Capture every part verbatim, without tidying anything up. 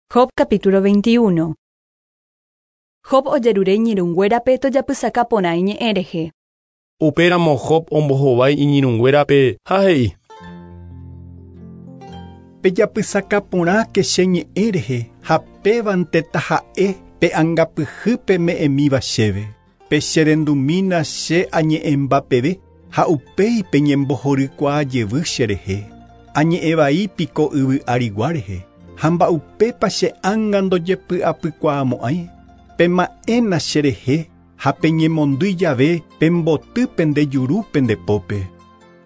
Job capítulo veintiuno. Job ojerure iñirũnguérape tojapysaka porã iñe'ẽ rehe. Upéramo Job ombohovái iñirũnguérape ha he'i. Pejapysaka porãke che ñe'ẽ rehe ha pévante taha'e pe angapyhýpe me'ẽmíva chéve. Pecherendumína che añe'ẽmbapeve ha upéi peñembohorykuaa jevy cherehe. Añe'ẽvai piko yvy arigua rehe. Ha mba'upépa che ánga ndojepy'apykuaamo'ãi. Pema'ẽna cherehe ha peñemondýi jave pemboty pende juru pende pópe.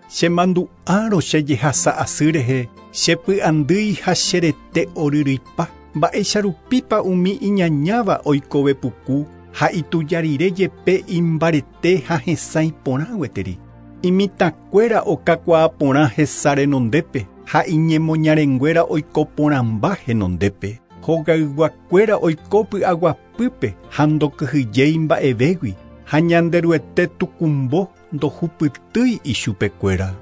Chemandu'árõ che jehasa asy rehe chepy'andýi ha cherete oryryipa. Mba'eicharupípa umi iñañáva oikove puku ha ituja rire jepe imbarete ha hesãi porã gueteri. Imitãkuéra okakuaa porã hesa renondépe ha iñemoñarenguéra oiko porãmba henondépe. Hogayguakuéra oiko py'aguapýpe ha ndokyhyjéi mba'evégui ha Ñanderuete tukumbo ndohupytýi ichupekuéra.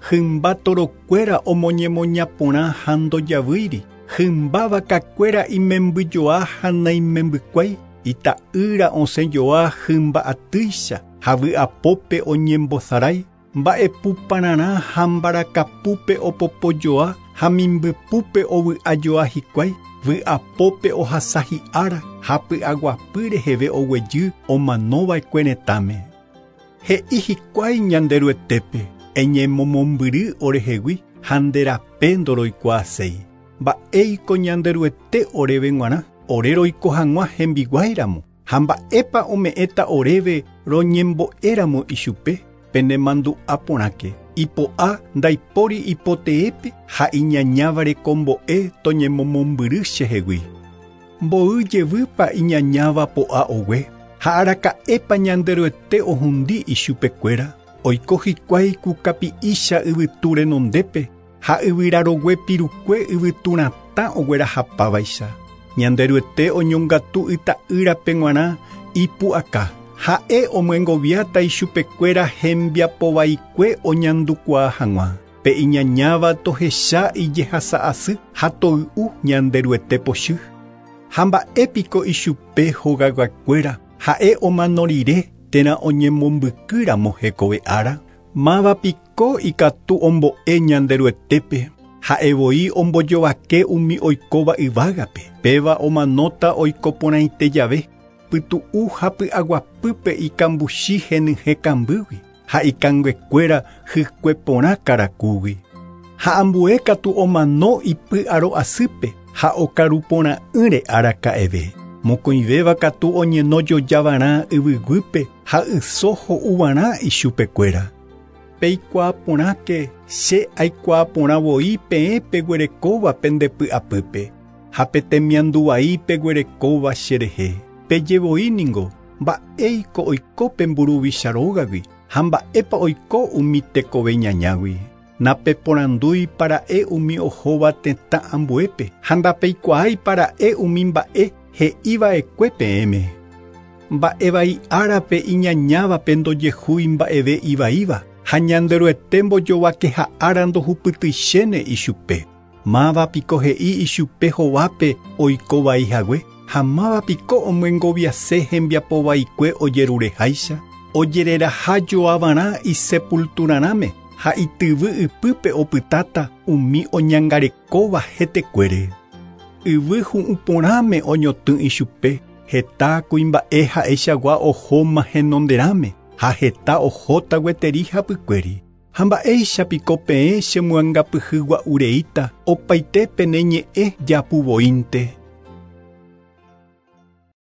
Hymba torokuéra omoñemoña porã ha ndojavýiri. Hymba vakakuéra imembyjoa ha naimembykuái. Ita'ýra osẽjoa hymba atýicha ha vy'apópe oñembosarái. Mba'epupararã ha mbarakapúpe opopojoa ha mimbypúpe ovy'ajoa hikuái. Vy'apópe ohasa hi'ára ha py'aguapy reheve oguejy omanova'ekue retãme. He'i hikuái Ñanderuetépe eñemomombyry orehegui ha nde rape ndoroikuaaséi. Mba'éiko Ñanderuete oréve g̃uarã ore roiko hag̃ua hembiguáiramo ha mba'épa ome'ẽta oréve roñembo'éramo ichupe. Penemandu'a porãke ipo'a ndaipóri ipoteépe ha iñañáva rekombo'e toñemomombyry chehegui. Mboy jevýpa iñañáva po'a ogue ha araka'épa Ñanderuete ohundi ichupekuéra. Oiko hikuái ku kapi'ícha yvytu renondépe ha yvyrarogue pirukue yvyturatã oguerahapávaicha. Ñanderuete oñongatu yta'ýrape g̃uarã ipu'aka. Ha'e omyengoviáta ichupekuéra hembiapovaikue oñandukuaa hag̃ua. Pe iñañáva tohecha ijehasa asy ha toy'u Ñanderuete pochy. Ha mba'épiko ichupe hogayguakuéra ha'e omano rire térã oñemombykýramo hekove ára. Mávapiko ikatu ombo'e Ñanderuetépe. Ha'e voi ombojovake umi oikóva yvágape. Péva omanóta oiko porãite jave. Pytu'u ha py'aguapýpe ikambuchi henyhẽ kambýgui ha ikanguekuéra hykue porã karakúgui. Ha ambue katu omano ipy'aro asýpe ha okaru porã'ỹre araka'eve. Mokõivéva katu oñeno jojavarã yvyguýpe ha yso ho'uvarã ichupekuéra. Peikuaa porãke che aikuaa porã voi peẽ peguerekóva pende py'apýpe ha pe temianduvai peguerekóva cherehe. Pejevoi ningo mba'éiko oiko pe mburuvicha rógagui ha mba'épa oiko umi tekove ñañágui. Napeporandúi para'e umi ohóva tetã ambuépe ha ndapeikuaái para'e umi mba'e he'iva'ekue peẽme. Mba'evai árape iñañávape ndojehúi mba'eve ivaíva ha Ñanderuete mbojovakeha ára ndohupytyichéne ichupe. Mávapiko he'i ichupe hovápe oikovai hague ha mávapiko omyengoviase hembiapovaikue ojerureháicha. Ojereraha joavarã isepulturarãme ha ityvy ypýpe opytáta umi oñangarekóva hetekuére. Yvy hu'ũ porãme oñotỹ ichupe heta kuimba'e ha'eichagua ohóma henonderãme ha heta ohóta gueteri hapykuéri. Ha mba'éichapiko peẽ chemyangapyhygua'ureíta opaite pene ñe'ẽ japuvoínte.